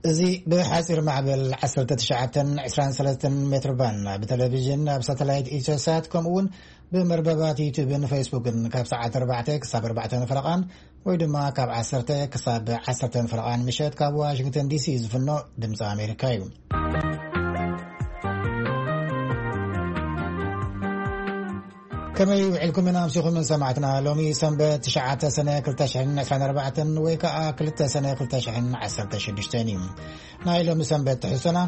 እዚ ብሓጺር ማዕበል ዓሰርተ ትሽዓተ ዕስራን ሰለስተን ሜትር ባንድ ብቴሌቪዥን ኣብ ሳተላይት ኢትዮሳት ከምኡ እውን ብመርበባት ዩቱብን ፌስቡክን ካብ ሰዓት ኣርባዕተ ክሳብ ኣርባዕተ ፈረቓን ወይ ድማ ካብ ዓሰርተ ክሳብ ዓሰርተ ፈረቓን ምሸት ካብ ዋሽንግተን ዲሲ ዝፍኖ ድምፂ ኣሜሪካ እዩ። ከመይ ውዕልኩም ኢና ኣምሲኹም ሰማዕትና? ሎሚ ሰንበት ትሽዓተ ሰነ ክልተ ሽሕን ዕስራን ኣርባዕተን ወይ ከዓ ክልተ ሰነ ክልተ ሽሕን ዓሰርተ ሽዱሽተን እዩ። ናይ ሎሚ ሰንበት ትሕዝቶና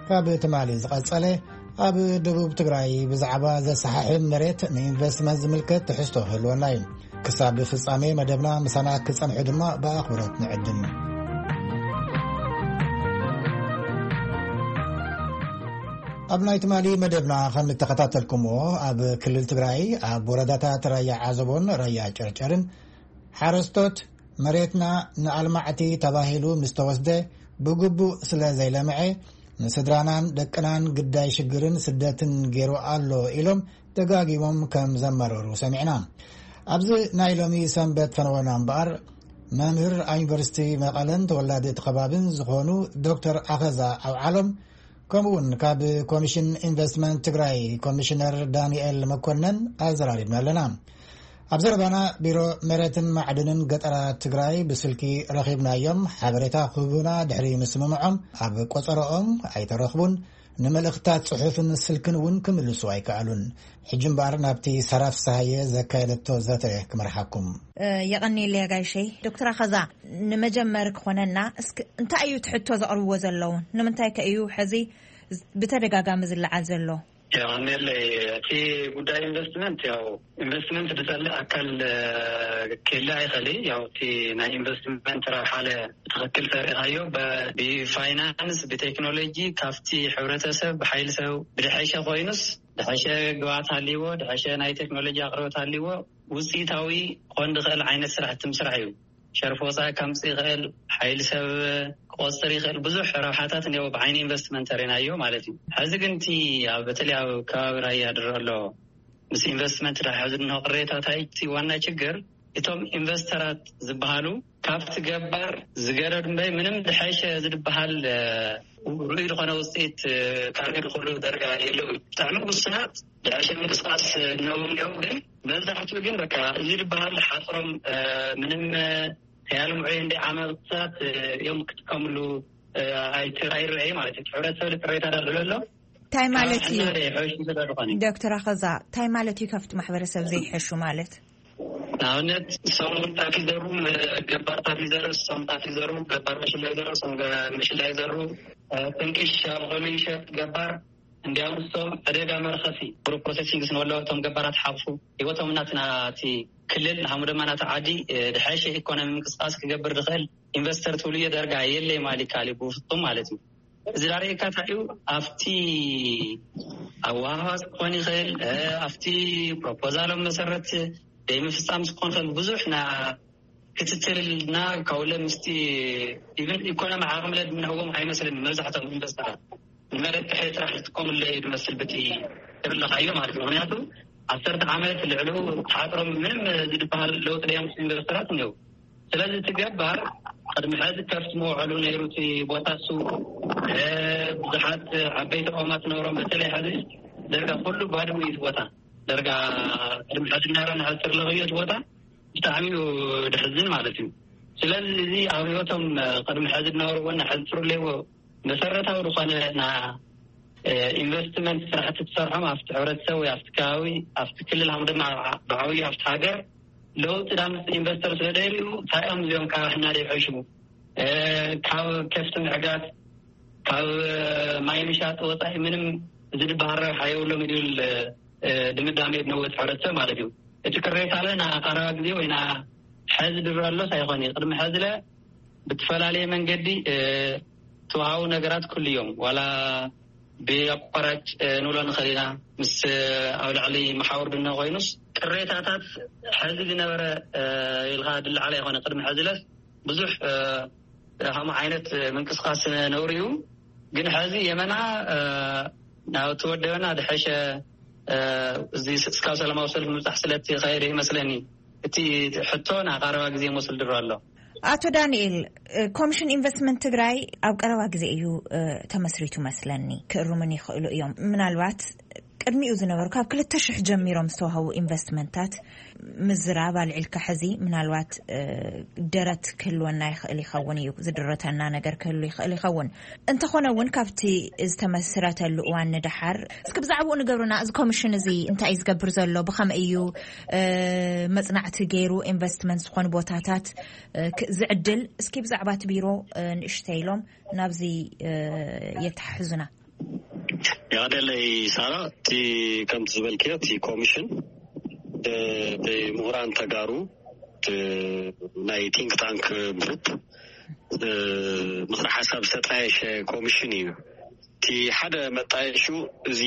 ካብ ትማሊ ዝቐጸለ ኣብ ደቡብ ትግራይ ብዛዕባ ዘሰሓሕብ መሬት ንኢንቨስትመንት ዝምልከት ትሕዝቶ ክህልወና እዩ። ክሳብ ፍጻሜ መደብና ምሳና ክጸንሑ ድማ ብኣኽብሮት ንዕድም። ኣብ ናይ ትማሊ መደብና ከም እተኸታተልኩምዎ ኣብ ክልል ትግራይ ኣብ ወረዳታት ራያ ዓዘቦን ራያ ጨርጨርን ሓረስቶት መሬትና ንኣልማዕቲ ተባሂሉ ምስ ተወስደ ብግቡእ ስለ ዘይለምዐ ንስድራናን ደቅናን ግዳይ ሽግርን ስደትን ገይሩ ኣሎ ኢሎም ደጋጊሞም ከም ዘመረሩ ሰሚዕና። ኣብዚ ናይ ሎሚ ሰንበት ፈነወና እምበኣር መምህር ኣብ ዩኒቨርሲቲ መቐለን ተወላዲ እቲ ከባብን ዝኾኑ ዶክተር ኣኸዛ ኣውዓሎም ከምኡ እውን ካብ ኮሚሽን ኢንቨስትመንት ትግራይ ኮሚሽነር ዳንኤል መኮነን ኣዘራሪብና ኣለና። ኣብ ዘረባና ቢሮ መሬትን ማዕድንን ገጠራት ትግራይ ብስልኪ ረኺብናዮም። ሓበሬታ ክህቡና ድሕሪ ምስምምዖም ኣብ ቆጸሮኦም ኣይተረኽቡን። ንመልእኽታት ጽሑፍን ስልክን እውን ክምልሱ ኣይከኣሉን። ሕጂ እምበኣር ናብቲ ሳራ ፍስሃየ ዘካየደቶ ዘተ ክመርሓኩም። እ፣ የቐንየለይ ኣጋይሸይ። ዶክተር ኣኸዛ፣ ንመጀመሪ ክኾነና እስኪ እንታይ እዩ እቲ ሕቶ ዘቕርብዎ ዘለዉ? ንምንታይ ከ እዩ ሕዚ ብተደጋጋሚ ዝለዓል ዘሎ? የቐንየለይ። እቲ ጉዳይ ኢንቨስትመንት፣ ያው ኢንቨስትመንት ዝጸልእ ኣካል፣ እ፣ ክህለ ኣይኽእል። ያው እቲ ናይ ኢንቨስትመንት ረብሓ ለ ብትኽክል ተሪእኻዮ፣ በ-፣ ብፋይናንስ፣ ብቴክኖሎጂ፣ ካብቲ ሕብረተሰብ ብሓይሊ ሰብ ብድሐሸ ኮይኑስ፣ ድሐሸ ግብኣት ሃልይዎ፣ ድሐሸ ናይ ቴክኖሎጂ ኣቕርቦት ሃልይዎ፣ ውፅኢታዊ ክኾን ዝኽእል ዓይነት ስራሕቲ ምስራሕ እዩ። ሸርፊ ወፃኢ ከምፅእ ይኽእል፣ ሓይሊ ሰብ ክቆፅር ይኽእል፣ ብዙሕ ረብሓታት እኒኦ ብዓይኒ ኢንቨስትመንት ተሪናዮ ማለት እዩ። ሕዚ ግን እቲ ኣብ፣ በተለይ ኣብ ከባቢ ራያ ድሮ ኣሎ ምስ ኢንቨስትመንት ድሓ ዝንሆ ቅሬታታት እቲ ዋና ችግር እቶም ኢንቨስተራት ዝበሃሉ ካብቲ ገባር ዝገረድ እምበይ ምንም ድሐሸ ዝድበሃል፣ እ፣ ርኡይ ዝኾነ ውፅኢት፣ እ፣ ካብ ዝኽእሉ ደረጃ የለው። ብጣዕሚ ውሱናት ድሐሸ ምንቅስቃስ እነዎም እዮም። ግን መብዛሕትኡ ግን በቃ እዚ ዝበሃል ሓፅሮም፣ እ፣ ምንም፣ እ፣ ከያልምዑ እንደ ዓመታት፣ እ፣ እዮም ክጥቀምሉ፣ እ፣ ኣይት-፣ ኣይረኣይ ማለት እዩ። ሕብረተሰብ ቅሬታ ዳሎ ኣሎ። እንታይ ማለት እዩ? ሕና ደ ሕሽ ስለ ዝኾነ። ዶክተር ኣኸዛ፣ እንታይ ማለት እዩ ካብቲ ማሕበረሰብ ዘይሕሹ ማለት? ንኣብነት፣ እሶም ጣፍ ይዘሩ፣ ገባር ጣፍ ይዘሩ፣ እሶም ጣፍ ይዘሩ፣ ገባር መሽላ ይዘሩ፣ እሶም ገ-፣ መሽላ ይዘሩ፣ እ፣ ጥንቅሽ ኣብ ኾሉ ይሸጥ ገባር። እንዲያውም እሶም ዕደጋ መርኸሲ፣ ግሩፕ ፕሮሰሲንግ ስንወሎ እቶም ገባራት ሓቑፉ፣ ህይወቶም እናትና እቲ ክልል፣ ንሓሙ ድማ ናቲ ዓዲ፣ እ፣ ድሐሸ ኢኮኖሚ ምንቅስቃስ ክገብር ዝኽእል ኢንቨስተር ትብልዮ ደርጋ የለይ ማሊ ካሊ ብፍጹም ማለት እዩ። እዚ ዳርጋ እንታይ እዩ? ኣብቲ ኣወሃህባ ክኾን ይኽእል፣ እ፣ ኣብቲ ፕሮፖዛሎም መሰረት ደይምፍጻም ክኾን ይኽእል። ብዙሕ ና ክትትልና ካብኡ ለ ምስቲ ኢቨን ኢኮኖሚ ዓቕሚ ለ ድምንህዎም ኣይመስልን። መብዛሕትኦም ኢንቨስተራት ንመሬት ጥሒ ጥራሕ ዝጥቀሙሉ እዩ ዝመስል ብቲ ትብለኻዮ ማለት ነው። ምክንያቱ ዓሰርተ ዓመት ልዕሉ ተሓጥሮም ምንም ዝድበሃል ለውጢ ደዮም ኢንቨስተራት እኒው። ስለዚ እቲ ገባር ቅድሚ ሕዚ ከፍቲ መውዕሉ ነይሩ እቲ ቦታ እሱ፣ እ፣ ብዙሓት ዓበይቲ ቆማት ነብሮም በተለይ ሕዚ ደርጋ ኩሉ ባድሙ እዩ እቲ ቦታ። ደርጋ ቅድሚ ሕዚ ነረ ንሕዚ ትርለኽዮ እቲ ቦታ ብጣዕሚ እዩ ድሕዝን ማለት እዩ። ስለዚ እዚ ኣብ ህይወቶም ቅድሚ ሕዚ ዝነበርዎ እና ሕዚ ትርለይዎ መሰረታዊ ዝኾነ ና፣ እ፣ ኢንቨስትመንት ስራሕቲ ትሰርሖም ኣብቲ ሕብረተሰብ ወይ ኣብቲ ከባቢ፣ ኣብቲ ክልል፣ ሃም ድማ ብዓብዩ ኣብቲ ሃገር ለውጢ ዳምፅ ኢንቨስተር ስለ ደልዩ እንታይ እዮም እዚኦም ካብ ሕና ደይሕሹ፣ እ፣ ካብ ከፍቲ ምዕጋት፣ ካብ ማይ ምሻጥ ወፃኢ ምንም ዝድበሃል ረብሓ የብሎም ይብል፣ እ፣ ድምዳሜ ነወት ሕብረተሰብ ማለት እዩ። እቲ ቅሬታ ለ ና ቀረባ ግዜ ወይ ና ሕዚ ድረሎስ ኣይኾን እዩ። ቅድሚ ሕዚ ለ ብትፈላለየ መንገዲ፣ እ፣ ተዋሃቡ ነገራት ኩሉ እዮም። ዋላ ብኣቋራጭ፣ እ፣ ንብሎ ንኽእል ኢና። ምስ፣ እ፣ ኣብ ልዕሊ መሓውር ድነ ኮይኑስ ቅሬታታት ሕዚ ዝነበረ፣ እ፣ ኢልካ ድለዓል ኣይኮነ። ቅድሚ ሕዚ ለስ ብዙሕ፣ እ፣ ሃሙ ዓይነት ምንቅስቃስ ነውሪ እዩ። ግን ሕዚ የመና፣ እ፣ ናብ ተወደበና ድሐሸ፣ እ፣ እዚ ስ-፣ እስካብ ሰላማዊ ሰልፊ ምብጻሕ ስለቲ ኸይደ ይመስለኒ። እቲ ሕቶ ና ቀረባ ግዜ መስል ድሮ ኣሎ። ኣቶ ዳንኤል፣ ኮሚሽን ኢንቨስትመንት ትግራይ ኣብ ቀረባ ግዜ እዩ ተመስሪቱ መስለኒ። ክእርሙን ይኽእሉ እዮም። ምናልባት ቅድሚኡ ዝነበሩ ካብ ክልተ ሽሕ ጀሚሮም ዝተዋህቡ ኢንቨስትመንታት ምዝራብ ኣልዒልካ ሕዚ ምናልባት ደረት ክህልወና ይኽእል ይኸውን እዩ፣ ዝድረተና ነገር ክህሉ ይኽእል ይኸውን። እንተኾነ እውን ካብቲ ዝተመስረተሉ እዋን ንደሓር እስኪ ብዛዕባኡ ንገብሩና። እዚ ኮሚሽን እዚ እንታይ እዩ ዝገብር ዘሎ? ብኸመይ እዩ መፅናዕቲ ገይሩ ኢንቨስትመንት ዝኾኑ ቦታታት ዝዕድል? እስኪ ብዛዕባ እቲ ቢሮ ንእሽተይ ኢሎም ናብዚ የተሓሕዙና። ይቐደለይ ሳራ፣ እቲ ከምቲ ዝበልክዮ እቲ ኮሚሽን ብምሁራን ተጋሩ ናይ ቲንክ ታንክ ግሩፕ ምክሪ ሓሳብ ዝተጣየሸ ኮሚሽን እዩ። እቲ ሓደ መጣየሹ እዚ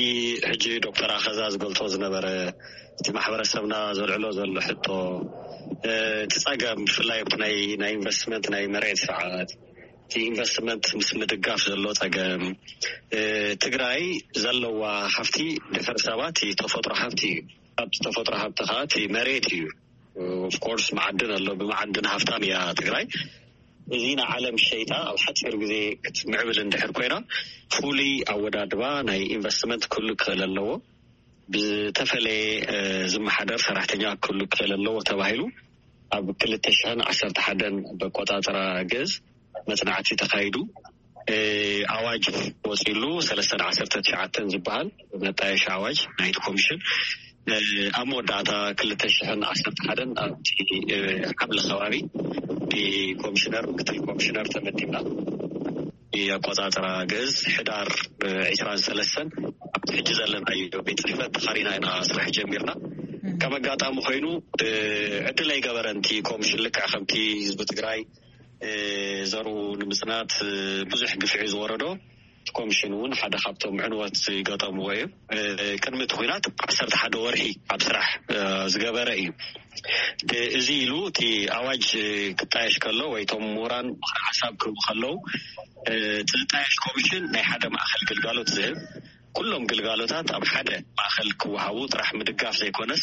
ሕጂ ዶክተር ኣኸዛ ዝገልጾ ዝነበረ እቲ ማሕበረሰብና ዘልዕሎ ዘሎ ሕቶ፣ እቲ ጸገም ብፍላይ ኣብቲ ናይ ኢንቨስትመንት ናይ መሬት ስርዓት፣ እቲ ኢንቨስትመንት ምስ ምድጋፍ ዘሎ ጸገም፣ ትግራይ ዘለዋ ሃፍቲ ድሕሪ ሰባት ተፈጥሮ ሃፍቲ እዩ። ካብቲ ተፈጥሮ ሃብቲ ከዓ እቲ መሬት እዩ። ኦፍኮርስ መዓድን ኣሎ፣ ብመዓድን ሃፍታም እያ ትግራይ። እዚ ንዓለም ሸይጣ ኣብ ሓፂር ግዜ ክትምዕብል እንድሕር ኮይና ፍሉይ ኣወዳድባ ናይ ኢንቨስትመንት ክህሉ ክኽእል ኣለዎ። ብዝተፈለየ ዝመሓደር ሰራሕተኛ ክህሉ ክኽእል ኣለዎ ተባሂሉ ኣብ ክልተ ሽሕን ዓሰርተ ሓደን በቆፃፅራ ግእዝ መፅናዕቲ ተኻይዱ። ኣዋጅ ወፂሉ ሰለስተ ዓሰርተ ትሽዓተን ዝበሃል መጣየሻ ኣዋጅ ናይቲ ኮሚሽን ኣብ መወዳእታ ክልተ ሽሕን ዓሰርተ ሓደን ኣብቲ ሓምለ ከባቢ ብኮሚሽነር ምክትል ኮሚሽነር ተመዲብና። ኣቆፃፅራ ግእዝ ሕዳር ዕስራን ሰለስተን ኣብቲ ሕጂ ዘለናዮ ቤት ፅሕፈት ተኻሪና ኢና ስራሕ ጀሚርና። ከም ኣጋጣሚ ኮይኑ ዕድል ኣይገበረን እቲ ኮሚሽን። ልክዕ ከምቲ ህዝቢ ትግራይ ዘርኡ ንምፅናት ብዙሕ ግፍዒ ዝወረዶ፣ እቲ ኮሚሽን እውን ሓደ ካብቶም ዕንወት ዝገጠምዎ እዩ። ቅድሚ እቲ ኩናት ዓሰርተ ሓደ ወርሒ ኣብ ስራሕ ዝገበረ እዩ። እዚ ኢሉ እቲ ኣዋጅ ክጣየሽ ከሎ ወይ እቶም ምሁራን ምኽሪ ሓሳብ ክህቡ ከለዉ፣ እቲ ዝጣየሽ ኮሚሽን ናይ ሓደ ማእኸል ግልጋሎት ዝህብ፣ ኩሎም ግልጋሎታት ኣብ ሓደ ማእኸል ክወሃቡ ጥራሕ ምድጋፍ ዘይኮነስ፣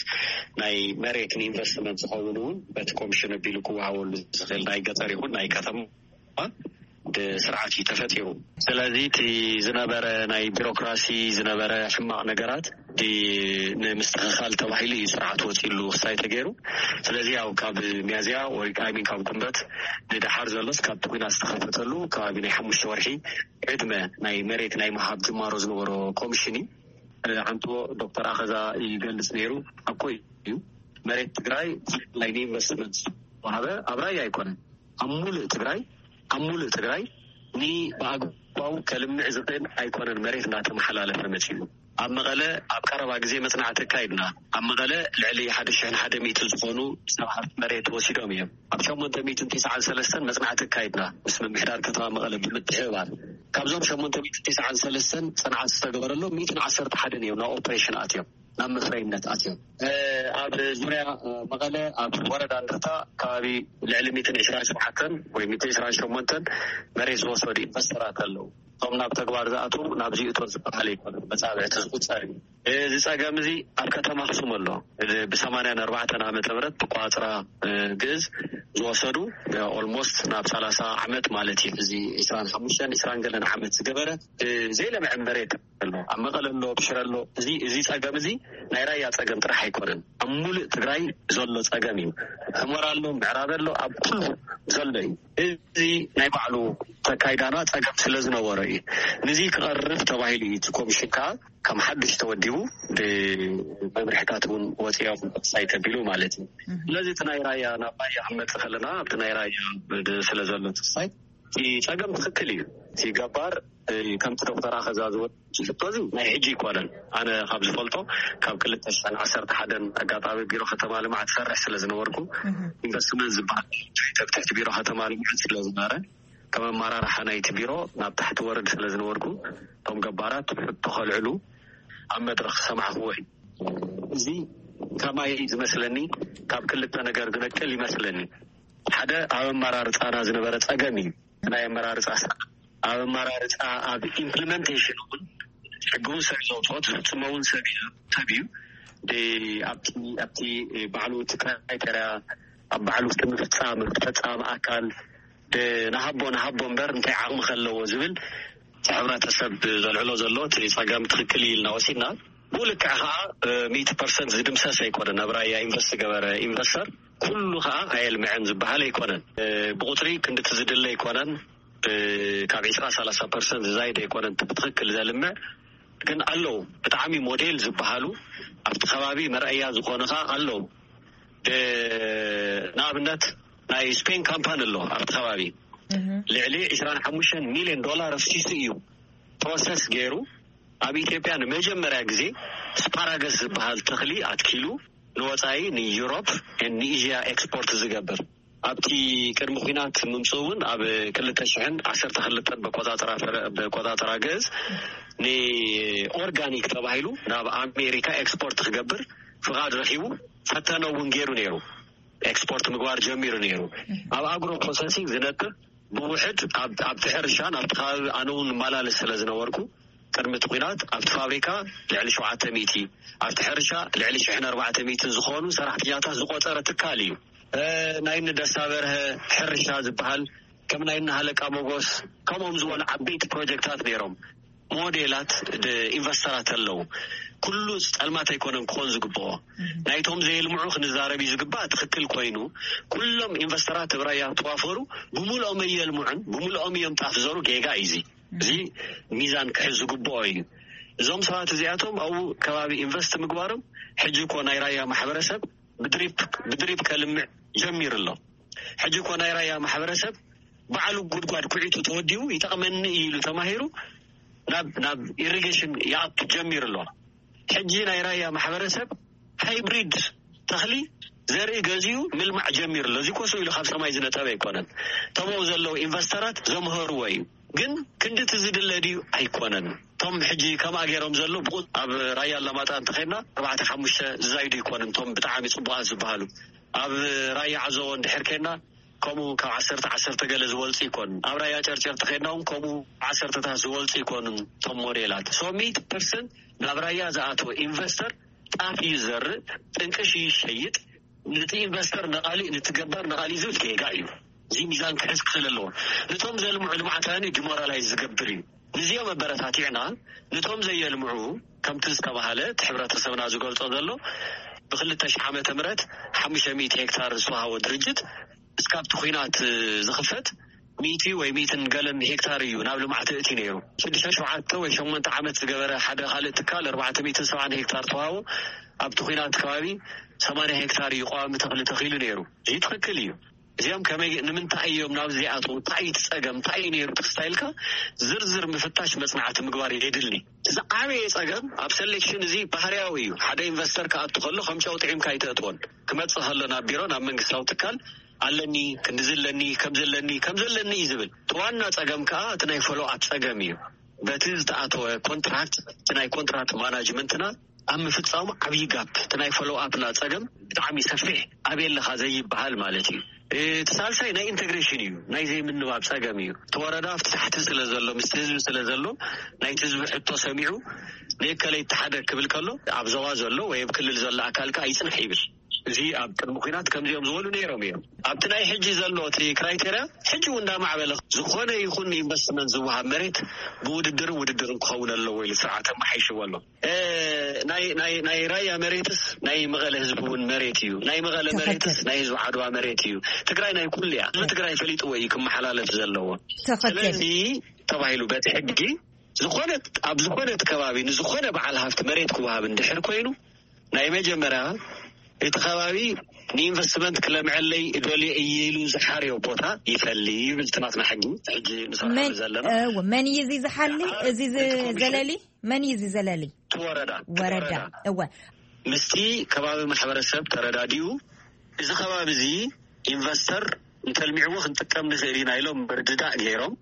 ናይ መሬት ንኢንቨስትመንት ዝኸውን እውን በቲ ኮሚሽን ኣቢሉ ክወሃበሉ ዝኽእል ናይ ገጠር ይኹን ናይ ከተማ ስርዓት እዩ ተፈጢሩ። ስለዚ እቲ ዝነበረ ናይ ቢሮክራሲ ዝነበረ ሕማቕ ነገራት ንምስትኽኻል ተባሂሉ እዩ ስርዓት ወፂሉ ክሳይ ተገይሩ። ስለዚ ያው ካብ ሚያዝያ ወይ I mean ካብ ጉንበት ንደሓር ዘሎስ ካብ ኩናት ዝተኸፈተሉ ከባቢ ናይ ሓሙሽተ ወርሒ ዕድመ ናይ መሬት ናይ ምሃብ ጅማሮ ዝነበሮ ኮሚሽን እዩ። ዓንቶ ዶክተር ኣኸዛ ይገልጽ ነይሩ። ኣኮ እዩ መሬት ትግራይ ናይ ኢንቨስትመንት ዝተዋሃበ ኣብ ራያ ኣይኮነን፣ ኣብ ሙሉእ ትግራይ፣ ኣብ ሙሉእ ትግራይ ንብኣግባቡ ከልምዕ ዝኽእል ኣይኮነን መሬት እናተመሓላለፈ መፂኡ። ኣብ መቐለ ኣብ ቀረባ ግዜ መፅናዕቲ ኣካይድና። ኣብ መቐለ ልዕሊ ሓደ ሽሕን ሓደ ሚእትን ዝኾኑ ሰብ ሃፍቲ መሬት ወሲዶም እዮም። ኣብ ሸሞንተ ሚእትን ተስዓን ሰለስተን መፅናዕቲ ኣካይድና ምስ ምምሕዳር ከተማ መቐለ ብምትሕብባር። ካብዞም ሸሞንተ ሚእትን ተስዓን ሰለስተን ፅንዓት ዝተገበረሎም ሚእትን ዓሰርተ ሓደን እዮም ናብ ኦፕሬሽን ኣትዮም፣ ናብ መፍረይነት ኣትዮም። ኣብ ዙርያ መቐለ ኣብ ወረዳ እንደርታ ከባቢ ልዕሊ ሚእትን ዕስራን ሸውዓተን ወይ ሚእትን ዕስራን ሸሞንተን መሬት ዝወሰዱ ኢንቨስተራት ኣለዉ። እቶም ናብ ተግባር ዝኣትዉ ናብዚ እቶ ዝበሃል ኣይኮነን፣ መጻብዕቲ ዝቁጸር እዩ። እዚ ጸገም እዚ ኣብ ከተማ ኣኽሱም ኣሎ። ብሰማንያን ኣርባዕተን ዓመተ ምህረት ብቋጽራ ግእዝ ዝወሰዱ ኦልሞስት ናብ ሰላሳ ዓመት ማለት እዩ። እዚ ዕስራን ሓሙሽተን ዕስራን ገለን ዓመት ዝገበረ ዘይለምዐ መሬት ኣሎ። ኣብ መቐለ ኣሎ፣ ብሽረ ኣሎ። እዚ እዚ ጸገም እዚ ናይ ራያ ጸገም ጥራሕ ኣይኮነን፣ ኣብ ሙሉእ ትግራይ ዘሎ ጸገም እዩ። ሕመራ ኣሎ፣ ምዕራብ ኣሎ፣ ኣብ ኩሉ ዘሎ እዩ። እዚ ናይ ባዕሉ ተካይዳና ጸገም ስለ ዝነበሮ እዩ። ነዚ ክቐርፍ ተባሂሉ እዩ እቲ ኮሚሽን ከዓ ከም ሓድሽ ተወዲቡ ብመምርሕታት እውን ወፂኦም ክሳይ ተቢሉ ማለት እዩ። ስለዚ እቲ ናይ ራያ ናብ ራያ ክንመፅእ ከለና ኣብቲ ናይ ራያ ስለ ዘሎ ክሳይ እቲ ጸገም ትኽክል እዩ። እቲ ገባር ከምቲ ዶክተር ኣኸዛ ዝበሎ ሕቶ እዚ ናይ ሕጂ ይኮነን። ኣነ ካብ ዝፈልጦ ካብ ክልተ ሽሕን ዓሰርተ ሓደን ኣጋጣሚ ቢሮ ከተማ ልምዓት ሰርሕ ስለ ዝነበርኩ ኢንቨስትመንት ዝበሃል ትሕቲ ቢሮ ከተማ ልምዓት ስለ ዝነበረ ከም ኣመራርሓ ናይቲ ቢሮ ናብ ታሕቲ ወርድ ስለ ዝነበርኩ እቶም ገባራት ሕቶ ከልዕሉ ኣብ መድረኽ ሰማዕክዎ እዩ። እዚ ከማይ ዝመስለኒ ካብ ክልተ ነገር ዝነቅል ይመስለኒ። ሓደ ኣብ ኣመራርፃና ዝነበረ ፀገም እዩ። ናይ ኣመራርፃ ስርዓት ኣብ ኣመራርፃ ኣብ ኢምፕሊመንቴሽን እውን ሕጊ እውን ሰብ ዘውፅኦ ዝፍፅሞ እውን ሰብ እዩ። ኣብቲ ኣብቲ ባዕሉ እቲ ክራይቴርያ ኣብ ባዕሉ እቲ ምፍፃም ፈፃሚ ኣካል ንሃቦ ንሃቦ እምበር እንታይ ዓቕሚ ከለዎ ዝብል እቲ ሕብረተሰብ ዘልዕሎ ዘሎ እቲ ጸገም ትኽክል እዩ ኢልና ወሲድና። ብኡ ልክዕ ከዓ ሚእቲ ፐርሰንት ዝድምሰስ ኣይኮነን። ኣብ ራያ ኢንቨስት ዝገበረ ኢንቨስተር ኩሉ ከዓ ኣየልምዐን ዝበሃል ኣይኮነን። ብቁፅሪ ክንድቲ ዝድለ ኣይኮነን። ካብ ዒስራ ሰላሳ ፐርሰንት ዝዛይድ ኣይኮነን ብትኽክል ዘልምዕ። ግን ኣለዉ ብጣዕሚ ሞዴል ዝበሃሉ ኣብቲ ከባቢ መርኣያ ዝኾኑ ከዓ ኣለዉ። ንኣብነት ናይ ስፔን ካምፓኒ ኣሎ ኣብቲ ከባቢ ልዕሊ ዕስራን ሓሙሽተን ሚልዮን ዶላር ኣፍሲሱ እዩ ፕሮሰስ ገይሩ ኣብ ኢትዮጵያ ንመጀመርያ ግዜ ስፓራገስ ዝበሃል ተኽሊ ኣትኪሉ ንወፃኢ ንዩሮፕ ንኤዥያ ኤክስፖርት ዝገብር ኣብቲ ቅድሚ ኩናት ምምፅኡ እውን ኣብ ክልተ ሽሕን ዓሰርተ ክልተን በቆፃፅራ ፈረ- በቆፃፅራ ግእዝ ንኦርጋኒክ ተባሂሉ ናብ ኣሜሪካ ኤክስፖርት ክገብር ፍቓድ ረኪቡ ፈተነ እውን ገይሩ ነይሩ። ኤክስፖርት ምግባር ጀሚሩ ነይሩ። ኣብ ኣግሮ ፕሮሰሲንግ ዝነጥፍ ብውሕድ ኣብ- ኣብቲ ሕርሻ ናብቲ ከባቢ ኣነ እውን እመላለስ ስለ ዝነበርኩ ቅድሚ እቲ ኩናት ኣብቲ ፋብሪካ ልዕሊ ሸውዓተ ሚእቲ ኣብቲ ሕርሻ ልዕሊ ሽሕን ኣርባዕተ ሚእትን ዝኾኑ ሰራሕተኛታት ዝቆፀረ ትካል እዩ። ናይ እኒ ደስታ በርሀ ሕርሻ ዝበሃል ከም ናይ እኒ ሃለቃ ሞጎስ ከምኦም ዝበሉ ዓበይቲ ፕሮጀክታት ነይሮም። ሞዴላት ኢንቨስተራት ኣለዉ። ኩሉ ፀልማት ኣይኮነን ክኾን ዝግብኦ። ናይቶም ዘየልምዑ ክንዛረብ እዩ ዝግባእ። ትኽክል ኮይኑ ኩሎም ኢንቨስተራት ኣብ ራያ ተዋፈሩ ብምልኦም ኣየልምዑን ብምልኦም እዮም ጣፍ ዘሩ። ጌጋ እዩ እዚ። እዚ ሚዛን ክሕዝ ዝግብኦ እዩ። እዞም ሰባት እዚኣቶም ኣብኡ ከባቢ ኢንቨስት ምግባሮም ሕጂ እኮ ናይ ራያ ማሕበረሰብ ብድሪፕ ብድሪፕ ከልምዕ ጀሚሩ ኣሎ። ሕጂ እኮ ናይ ራያ ማሕበረሰብ ባዕሉ ጉድጓድ ኩዒቱ ተወዲቡ ይጠቕመኒ እዩ ኢሉ ተማሂሩ ናብ ናብ ኢሪጌሽን ይኣቱ ጀሚሩ ኣሎ። ሕጂ ናይ ራያ ማሕበረሰብ ሃይብሪድ ተኽሊ ዘርኢ ገዚኡ ምልማዕ ጀሚሩ ኣሎ። እዚ ኮ ስቕ ኢሉ ካብ ሰማይ ዝነጠበ ኣይኮነን። እቶም ኣብኡ ዘለዉ ኢንቨስተራት ዘምሀርዎ እዩ። ግን ክንድቲ ዝድለ ድዩ? ኣይኮነን። እቶም ሕጂ ከምኣ ገይሮም ዘለዉ ብቑ- ኣብ ራያ ኣላማጣ እንተኸድና ኣርባዕተ ሓሙሽተ ዝዛይዱ ኣይኮነን። እቶም ብጣዕሚ ፅቡቓት ዝበሃሉ ኣብ ራያ ዓዘቦ እንድሕር ከድና ከምኡ ካብ ዓሰርተ ዓሰርተ ገለ ዝበልፁ ኣይኮኑን። ኣብ ራያ ጨርጨር ተኸድና እውን ከምኡ ዓሰርተታት ዝበልፁ ኣይኮኑን። እቶም ሞዴላት ሶ ሚእቲ ፐርሰንት ናብ ራያ ዝኣተወ ኢንቨስተር ጣፍ እዩ ዝዘርእ፣ ጥንቅሽ እዩ ዝሸይጥ፣ ነቲ ኢንቨስተር ነቓሊእ ነቲ ገባር ነቓሊእ ዝብል ጌጋ እዩ። እዚ ሚዛን ክሕዝ ክኽእል ኣለዎ። ነቶም ዘልምዑ ልምዓታውያን እዩ ዲሞራላይዝ ዝገብር እዩ። ንዚኦም ኣበረታቲዕና ነቶም ዘየልምዑ ከምቲ ዝተባሃለ እቲ ሕብረተሰብና ዝገልጾ ዘሎ ብክልተ ሽሕ ዓመተ ምህረት ሓሙሽተ ሚእቲ ሄክታር ዝተዋሃቦ ድርጅት እስካብቲ ኩናት ዝኽፈት ሚእቲ ወይ ሚእትን ገለን ሄክታር እዩ ናብ ልምዓት እቲ ነይሩ። ሽዱሽተ ሸውዓተ ወይ ሸሞንተ ዓመት ዝገበረ ሓደ ካልእ ትካል ኣርባዕተ ሚእትን ሰብዓን ሄክታር ተዋህቦ ኣብቲ ኩናት ከባቢ ሰማንያ ሄክታር እዩ ቀዋሚ ተኽሊ ተኺሉ ነይሩ። እዚ ትኽክል እዩ። እዚኦም ከመይ ንምንታይ እዮም ናብ ዚኣትዉ እንታይ እዩ እቲ ጸገም እንታይ እዩ ነይሩ ተክስታይልካ ዝርዝር ምፍታሽ መጽናዕቲ ምግባር የድሊ። እዚ ዓበየ ጸገም ኣብ ሰሌክሽን እዚ ባህርያዊ እዩ። ሓደ ኢንቨስተር ክኣቱ ከሎ ከም ጨው ጥዒምካ ኣይተእትዎን። ክመጽእ ከሎ ናብ ቢሮ ናብ መንግስታዊ ትካል ኣለኒ ክንድዚ ኣለኒ ከም ዘለኒ ከም ዘለኒ እዩ ዝብል። እቲ ዋና ጸገም ከኣ እቲ ናይ ፎሎ ኣፕ ጸገም እዩ። በቲ ዝተኣተወ ኮንትራክት እቲ ናይ ኮንትራክት ማናጅመንትና ኣብ ምፍጻሙ ዓብዪ ጋፕ እቲ ናይ ፎሎ ኣፕና ጸገም ብጣዕሚ ሰፊሕ ኣበይ ኣለኻ ዘይበሃል ማለት እዩ። እቲ ሳልሳይ ናይ ኢንቴግሬሽን እዩ። ናይ ዘይምንባብ ጸገም እዩ። እቲ ወረዳ ኣብቲ ታሕቲ ስለ ዘሎ ምስቲ ህዝቢ ስለ ዘሎ ናይቲ ህዝቢ ሕቶ ሰሚዑ ንእከለይ ተሓደ ክብል ከሎ ኣብ ዞባ ዘሎ ወይ ኣብ ክልል ዘሎ ኣካል ከኣ ይጽናሕ ይብል። እዚ ኣብ ቅድሚ ኩናት ከምዚኦም ዝበሉ ነይሮም እዮም። ኣብቲ ናይ ሕጂ ዘሎ እቲ ክራይቴርያ ሕጂ እውን እንዳማዕበለ ዝኾነ ይኹን ኢንቨስትመንት ዝወሃብ መሬት ብውድድርን ውድድርን ክኸውን ኣለዎ ኢሉ ስርዓት ኣመሓይሽዎ ኣሎ። ናይ ናይ ናይ ራያ መሬትስ ናይ መቐለ ህዝቢ እውን መሬት እዩ። ናይ መቐለ መሬትስ ናይ ህዝቢ ዓድዋ መሬት እዩ። ትግራይ ናይ ኩሉ እያ። ህዝቢ ትግራይ ፈሊጥዎ እዩ ክመሓላለፍ ዘለዎ። ስለዚ ተባሂሉ በቲ ሕጊ ዝኾነ ኣብ ዝኾነ ከባቢ ንዝኾነ በዓል ሃፍቲ መሬት ክወሃብ እንድሕር ኮይኑ ናይ መጀመርያ እቲ ከባቢ ንኢንቨስትመንት ክለምዐለይ እደልዮ እየ ኢሉ ዝሓርዮ ቦታ ይፈሊ ይብል ትናትና ሕጊ። ሕጂ ንሰርሓሉ ዘለና መን እዩ እዚ ዝሓሊ? እዚ ዘለሊ መን እዩ እዚ ዘለሊ? እቲ ወረዳ ወረዳ እወ ምስቲ ከባቢ ማሕበረሰብ ተረዳዲኡ እዚ ከባቢ እዚ ኢንቨስተር እንተልሚዕዎ ክንጥቀም ንኽእል ኢና ኢሎም ምርድዳእ ገይሮም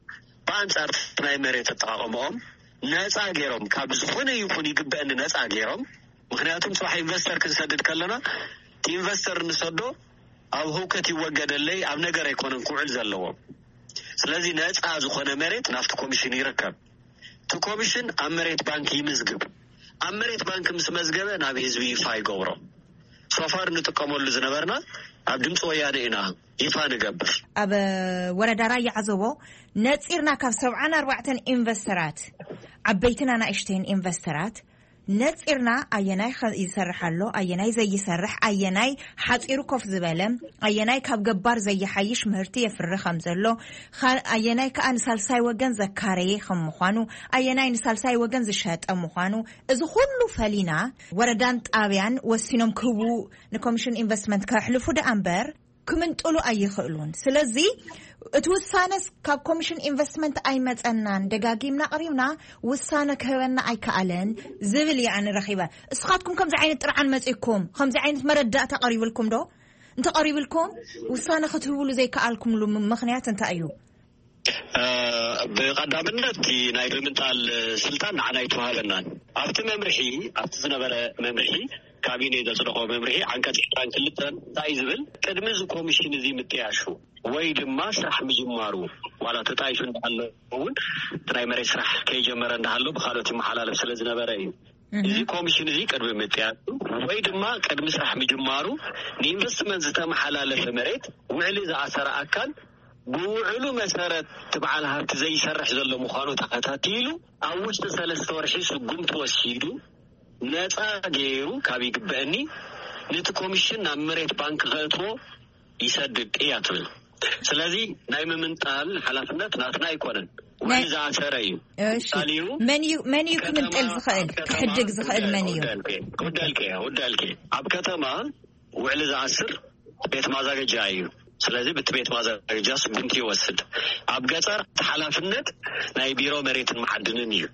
ብኣንፃር ናይ መሬት ኣጠቃቀመኦም ነፃ ገይሮም ካብ ዝኾነ ይኹን ይግበአኒ ነፃ ገይሮም ምክንያቱም ፅባሕ ኢንቨስተር ክንሰድድ ከለና እቲ ኢንቨስተር ንሰዶ ኣብ ህውከት ይወገደለይ ኣብ ነገር ኣይኮነን ክውዕል ዘለዎ ስለዚ ነፃ ዝኾነ መሬት ናብቲ ኮሚሽን ይርከብ እቲ ኮሚሽን ኣብ መሬት ባንክ ይምዝግብ ኣብ መሬት ባንክ ምስ መዝገበ ናብ ህዝቢ ይፋ ይገብሮ ሶፋር ንጥቀመሉ ዝነበርና ኣብ ድምፂ ወያነ ኢና ይፋ ንገብር። ኣብ ወረዳ ራያ ዓዘቦ ነፂርና ካብ ሰብዓን ኣርባዕተን ኢንቨስተራት፣ ዓበይትን ኣናእሽተይን ኢንቨስተራት ነፂርና፣ ኣየናይ ኸ- ይሰርሕ ኣሎ፣ ኣየናይ ዘይሰርሕ፣ ኣየናይ ሓፂሩ ኮፍ ዝበለ፣ ኣየናይ ካብ ገባር ዘይሓይሽ ምህርቲ የፍሪ ከም ዘሎ፣ ኻ- ኣየናይ ከዓ ንሳልሳይ ወገን ዘካረየ ከም ምዃኑ፣ ኣየናይ ንሳልሳይ ወገን ዝሸጠ ምዃኑ፣ እዚ ኩሉ ፈሊና፣ ወረዳን ጣብያን ወሲኖም ክህቡ፣ ንኮሚሽን ኢንቨስትመንት ከሕልፉ ደኣ እምበር ክምንጥሉ ኣይኽእሉን። ስለዚ እቲ ውሳነስ ካብ ኮሚሽን ኢንቨስትመንት ኣይመጸናን፣ ደጋጊምና ኣቕሪብና፣ ውሳነ ክህበና ኣይከኣለን ዝብል እየ ኣነ ረኺበ። እስኻትኩም ከምዚ ዓይነት ጥርዓን መጺእኩም፣ ከምዚ ዓይነት መረዳእታ ቀሪብልኩም ዶ? እንተቐሪብልኩም፣ ውሳነ ክትህብሉ ዘይከኣልኩምሉ ም- ምኽንያት እንታይ እዩ? እ፣ ብቐዳምነት እቲ ናይ ብምንጣል ስልጣን ንዓና ኣይተዋሃበናን። ኣብቲ መምርሒ፣ ኣብቲ ዝነበረ መምርሒ፣ ካቢኔ ዘጽደቖ መምርሒ ዓንቀጽ ዕስራን ክልተን እንታይ ዝብል፣ ቅድሚ እዚ ኮሚሽን እዚ ምጥያሹ ወይ ድማ ስራሕ ምጅማሩ፣ ዋላ ተጣይሹ እንዳሃለዉ እውን፣ እቲ ናይ መሬት ስራሕ ከይጀመረ እንዳሃሎ ብካልኦት ይመሓላለፍ ስለ ዝነበረ እዩ። እዚ ኮሚሽን እዚ ቅድሚ ምጥያሹ ወይ ድማ ቅድሚ ስራሕ ምጅማሩ ንኢንቨስትመንት ዝተመሓላለፈ መሬት ውዕሊ ዝኣሰረ ኣካል ብውዕሉ መሰረት እቲ በዓል ሃብቲ ዘይሰርሕ ዘሎ ምዃኑ ተኸታቲሉ ኣብ ውሽጢ ሰለስተ ወርሒ ስጉምቲ ወሲዱ ነፃ ገይሩ ካብ ይግበአኒ ነቲ ኮሚሽን ናብ መሬት ባንክ ከእትዎ ይሰድድ እያ ትብል። ስለዚ ናይ ምምንጣል ሓላፍነት ናትና ኣይኮነን፣ ውዕሊ ናይ ዝኣሰረ እዩ። እሺ። ምሳሌ እዩ። መን እዩ፣ መን እዩ ክምንጥል ዝኽእል፣ ኣብ ከተማ ክሕድግ ዝኽእል መን እዩ? ወዳልከ፣ ወዳልከ፣ ወዳልከ። ኣብ ከተማ ውዕሊ ዝኣስር ቤት ማዛገጃ እዩ። ስለዚ ብቲ ቤት ማዛገጃ ስጉምቲ ይወስድ። ኣብ ገጠር እቲ ሓላፍነት ናይ ቢሮ መሬትን መዓድንን እዩ።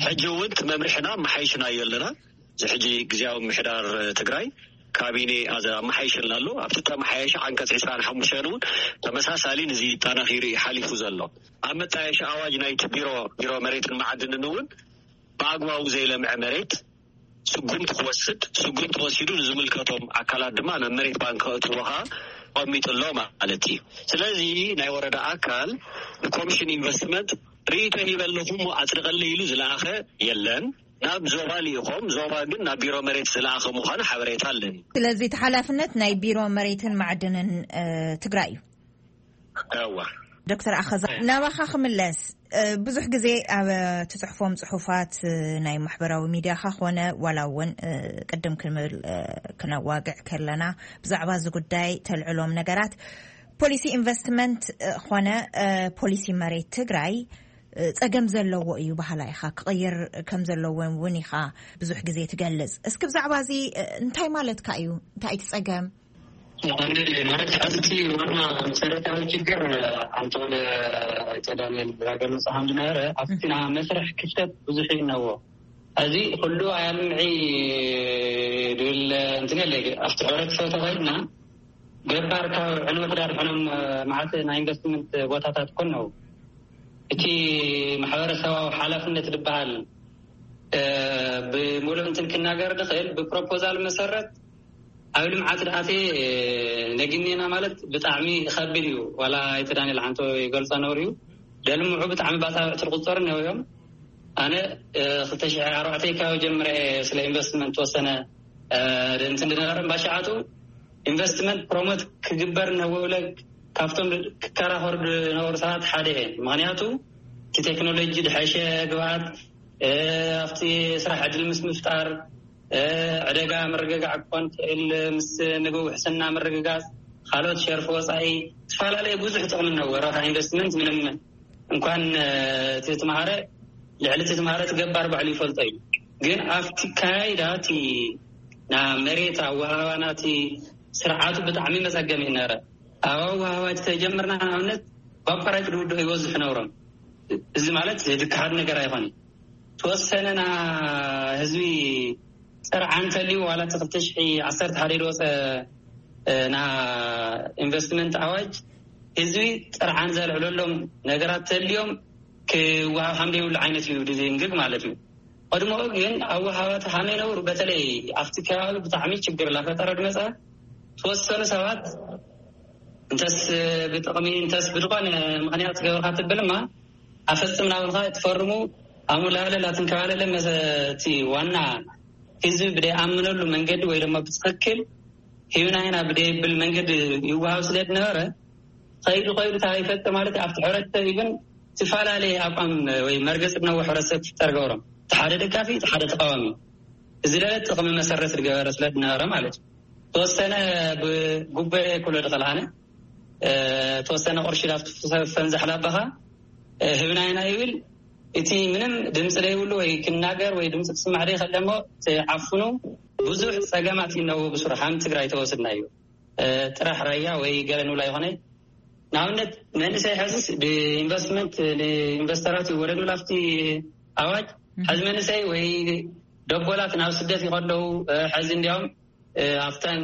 ሕጂ እውን እቲ መምርሕና መሓይሽናዮ ኣለና። እዚ ሕጂ ግዜያዊ ምሕዳር ትግራይ ካቢኔ ኣዘ- ኣመሓይሽልና ኣሎ። ኣብቲ ተመሓየሸ ዓንቀጽ ዕስራን ሓሙሽተን እውን ተመሳሳሊ ንዚ ጠናኺሩ እዩ ሓሊፉ ዘሎ። ኣብ መጣየሺ ኣዋጅ ናይቲ ቢሮ፣ ቢሮ መሬትን መዓድንን እውን ብኣግባቡ ዘይለምዐ መሬት ስጉምቲ ክወስድ፣ ስጉምቲ ወሲዱ ንዝምልከቶም ኣካላት ድማ ናብ መሬት ባንክ ከእትዎ ከዓ ተቐሚጡ ኣሎ ማለት እዩ። ስለዚ ናይ ወረዳ ኣካል ንኮሚሽን ኢንቨስትመንት ርእይቶ ሂበ ኣለኹ እሞ ኣፅድቐለይ ኢሉ ዝለኣኸ የለን። ናብ ዞባ ልኢኾም፣ ዞባ ግን ናብ ቢሮ መሬት ዝለኣኸ ምዃኑ ሓበሬታ ኣለኒ። ስለዚ እቲ ሓላፍነት ናይ ቢሮ መሬትን ማዕድንን እ፣ ትግራይ እዩ። እዋ። ዶክተር ኣኸዛ፣ ናባኻ ክምለስ። እ፣ ብዙሕ ግዜ ኣብ ትጽሕፎም ጽሑፋት፣ እ፣ ናይ ማሕበራዊ ሚድያኻ ኾነ ዋላ እውን፣ እ፣ ቅድም ክንብል፣ እ፣ ክነዋግዕ ከለና ብዛዕባ እዚ ጉዳይ ተልዕሎም ነገራት፣ ፖሊሲ ኢንቨስትመንት፣ እ፣ ኾነ፣ እ፣ ፖሊሲ መሬት ትግራይ፣ እ፣ ጸገም ዘለዎ እዩ በሃላ ኢኻ። ክቕይር ከም ዘለዎ እውን ኢኻ ብዙሕ ግዜ ትገልጽ። እስኪ ብዛዕባ እዚ፣ እ፣ እንታይ ማለትካ እዩ? እንታይ እቲ ጸገም? ማለት፣ ኣብቲ ዋና መሰረታዊ ችግር፣ ኣንቶን ኣይተ ዳንኤል ዝገለጾ ከም ዝነበረ፣ ኣብቲ ናይ መስርሕ ክፍተት ብዙሕ እዩ እነዎ። እዚ ኩሉ ኣያልምዒ ድብል እንትን የለ፣ ኣብቲ ሕብረተሰብ ተኸይድና፣ ገባር ካብ ዕንወት ዳርሕኖም መዓት ናይ ኢንቨስትመንት ቦታታት ኮን ነው። እቲ ማሕበረሰባዊ ሓላፍነት ዝበሃል፣ እ፣ ብምሉእ እንትን ክናገር ዝኽእል፣ ብፕሮፖዛል መሰረት ኣብ ልምዓት ደኣተ ነግኔና ማለት ብጣዕሚ ይኸብድ እዩ። ዋላ ኣይተ ዳንኤል ሓንቶ ይገልጾ ነሩ እዩ። ደልምዑ ብጣዕሚ ባጻብዕቲ ዝቁጸሩ ነው እዮም። ኣነ፣ እ፣ ክልተ ሽሕ ኣርባዕተ ካብ ጀምረ ስለ ኢንቨስትመንት ተወሰነ፣ እ፣ እንትን ዝነበረ ባሽዓቱ ኢንቨስትመንት ፕሮሞት ክግበር ነውለ ካብቶም ክከራኸሩ ዝነበሩ ሰባት ሓደ እየ። ምኽንያቱ እቲ ቴክኖሎጂ ድሐሸ ግብኣት፣ እ፣ ኣብቲ ስራሕ ዕድል ምስ ምፍጣር፣ እ፣ ዕደጋ ምርግጋዕ ክኾን ትኽእል፣ ምስ ምግቢ ውሕስና ምርግጋጽ፣ ካልኦት ሸርፊ ወጻኢ፣ ዝተፈላለዩ ብዙሕ ጥቕሚ እነዎ። ረብሓ ኢንቨስትመንት ምንም እንኳን፣ እ፣ እቲ ትምሃረ፣ ልዕሊ እቲ ትምሃረ እቲ ገባር ባዕሉ ይፈልጦ እዩ። ግን ኣብቲ ካይዳ እቲ ና መሬት ኣወሃባና እቲ ስርዓቱ ብጣዕሚ መጸገሚ ይነበረ። ኣብ ኣወሃባ ተጀምርና ንኣብነት ብኣቋራጭ ድውድኦ ይበዝሑ ነብሮም። እዚ ማለት ድክሓድ ነገር ኣይኾነ። ተወሰነ ና ህዝቢ ጥርዓን እንተልዩ ዋላ እቲ ክልተ ሽሕ ዓሰርተ ሓደ ዝወፀ፣ እ፣ ና ኢንቨስትመንት ኣዋጅ ህዝቢ ጥርዓን ዘልዕለሎም ነገራት ተልዮም ክወሃብ ከም ዘይብሉ ዓይነት እዩ ድዝንግግ ማለት እዩ። ቀድሞኡ ግን ኣወሃባቲ ሃመይ ነብሩ በተለይ ኣብቲ ከባቢ ብጣዕሚ ችግር እናፈጠረ ድመፀ ተወሰኑ ሰባት እንተስ ብጥቕሚ እንተስ ብዝኾነ ምኽንያት ገበርካ ትብልማ ኣፈጽምና ብልካ ትፈርሙ ኣሙላለላ ትንከባለለ መሰ-፣ እቲ ዋና ህዝቢ ብደይኣምነሉ መንገዲ ወይ ድማ ብትኽክል ሂብና ኢና ብደይብል መንገዲ ይወሃብ ስለ ዝነበረ፣ ከይዱ ከይዱ እንታይ ይፈጥር ማለት እዩ፣ ኣብቲ ሕብረተሰብ ይብን ዝተፈላለየ ኣቋም ወይ መርገፂ ነዎ ሕብረተሰብ ክፍጠር ገብሮም። እቲ ሓደ ደጋፊ፣ እቲ ሓደ ተቃዋሚ፣ እዚ ለለ ጥቕሚ መሰረት ዝገበረ ስለ ዝነበረ ማለት እዩ። ተወሰነ ብጉቦ ክብሎ ድኽእል ኣነ፣ ተወሰነ ቅርሺ ላብቲ ፈንዛሕ ላባኻ ህብና ኢና ይብል። እቲ ምንም ድምፂ ዘይብሉ ወይ ክናገር ወይ ድምፂ ክስማዕ ዘይኸለሞ ዓፍኑ ብዙሕ ፀገማት ይነው ብስሩ ሓም ትግራይ ተወስድና እዩ። ጥራሕ ራያ ወይ ገለ ንብላ ይኾነ። ንኣብነት መንእሰይ ሕዝስ ብኢንቨስትመንት ንኢንቨስተራት ይወረዱ ላፍቲ ኣዋጅ። ሕዚ መንእሰይ ወይ ደቦላት ናብ ስደት ይኸደው። ሕዚ እንዲያውም ኣብተን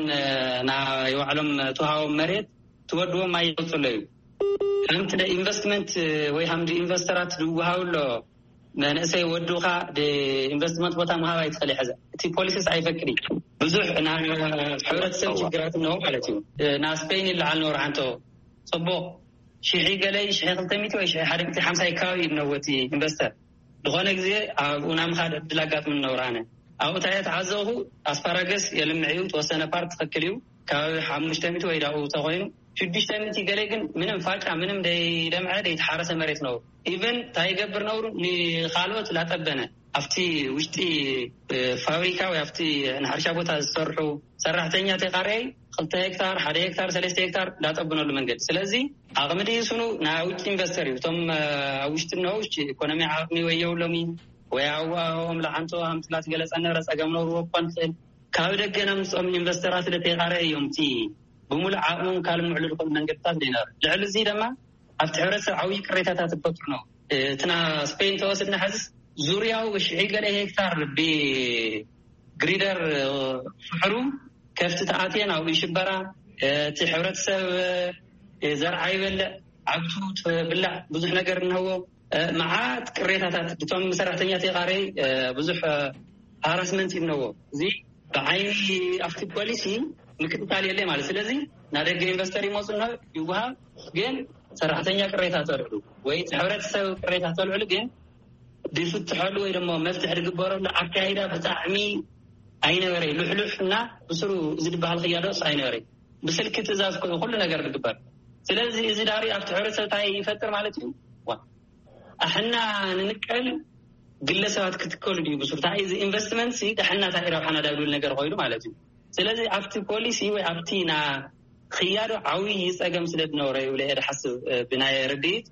ናይ ባዕሎም ተዋሃቦም መሬት ትወድዎም ማይ ይወፅሎ እዩ። ከምቲ ኢንቨስትመንት ወይ ከምዚ ኢንቨስተራት ዝወሃብ ኣሎ መንእሰይ ወዱኻ ኢንቨስትመንት ቦታ ምሃብ ኣይትኽእል። ሕዚ እቲ ፖሊሲስ ኣይፈቅድ። ብዙሕ ናይ ሕብረተሰብ ችግራት እነሆ ማለት እዩ። ናብ ስፔን ይለዓል ነበሩ ሓንቶ ፅቡቕ ሽሒ ገለ ሽሒ ክልተ ሚእቲ ወይ ሽሒ ሓደ ሚእቲ ሓምሳ ከባቢ እዩ እነዎ እቲ ኢንቨስተር። ዝኾነ ግዜ ኣብኡ ናይ ምኻድ ዕድል ኣጋጥምኒ ነብሩ። ኣነ ኣብኡ እንታይ እየ ተዓዘብኩ፣ ኣስፓራገስ የልምዕ እዩ፣ ተወሰነ ፓርት ትኽክል እዩ፣ ካብ ሓሙሽተ ሚእቲ ወይ ዳኡ ተኾይኑ ሽዱሽተ ሚእቲ ገለ ግን ምንም ፋጫ ምንም ደይለምዐ ደይተሓረሰ መሬት ነብሩ። ኢቨን እንታይ ይገብር ነብሩ፣ ንኻልኦት ላጠበነ ኣብቲ ውሽጢ ፋብሪካ ወይ ኣብቲ ንሕርሻ ቦታ ዝሰርሑ ሰራሕተኛ ተቃረይ ክልተ ሄክታር ሓደ ሄክታር ሰለስተ ሄክታር ላጠብነሉ መንገዲ። ስለዚ ዓቕሚ ድዩ ስኑ ናይ ውጭ ኢንቨስተር እዩ። እቶም ኣብ ውሽጢ እነሆ ውሽጢ ኢኮኖሚ ዓቕሚ ወይ የብሎም እዩ ወይ ኣዋኦም ለዓንቶ ሃምትላት ገለጸ ነበረ ጸገም ነብርዎ ክኾን ይኽእል። ካብ ደገ ነምፅኦም ኢንቨስተራት ለተይቃረ እዮም እቲ ብምሉእ ዓቕሞም ካልምዕሉ ዝኽእሉ መንገድታት ዘይነበረ። ልዕሊ እዚ ድማ ኣብቲ ሕብረተሰብ ዓብዪ ቅሬታታት ዝፈጥሩ ነው። እቲ ና ስፔን ተወስድና ሕዝስ ዙርያው ሽዒ ገለ ሄክታር ብግሪደር ፍሕሩ ከፍቲ ተኣትየን ኣብኡ ይሽበራ። እቲ ሕብረተሰብ ዘርዓ ይበልዕ፣ ዓብቱ ትብላዕ ብዙሕ ነገር እንህዎ። መዓት ቅሬታታት እቶም ሰራሕተኛ ተቃረይ ብዙሕ ሃራስመንት ይነዎ። እዚ ብዓይኒ ኣብቲ ፖሊሲ ምክትታል የለ ማለት። ስለዚ ናደገ ኢንቨስተር ይመፁና ይወሃብ፣ ግን ሰራሕተኛ ቅሬታ ተልዕሉ ወይ ሕብረተሰብ ቅሬታ ተልዕሉ ግን ድፍትሐሉ ወይ ደሞ መፍትሒ ዝግበረሉ ኣካይዳ ብጣዕሚ ኣይነበረ። ልሕሉሕ እና ብስሩ እዚ ዝበሃል ክያዶስ ኣይነበረ። ብስልኪ ትእዛዝ ኮይኑ ኩሉ ነገር ዝግበር። ስለዚ እዚ ዳሪ ኣብቲ ሕብረተሰብ እንታይ ይፈጥር ማለት እዩ? ኣሕና ንንቀል ግለሰባት ክትከሉ ድዩ ብስሩ? እንታይ እዚ ኢንቨስትመንት ሲ ደሕና እንታይ ረብሓና ዳግብል ነገር ኮይኑ ማለት እዩ። ስለዚ ኣብቲ ፖሊሲ ወይ ኣብቲ ና ክያዶ ዓብዪ ጸገም ስለ ዝነበረ ይብለ እየ ድሓስብ ብናይ ርድኢት።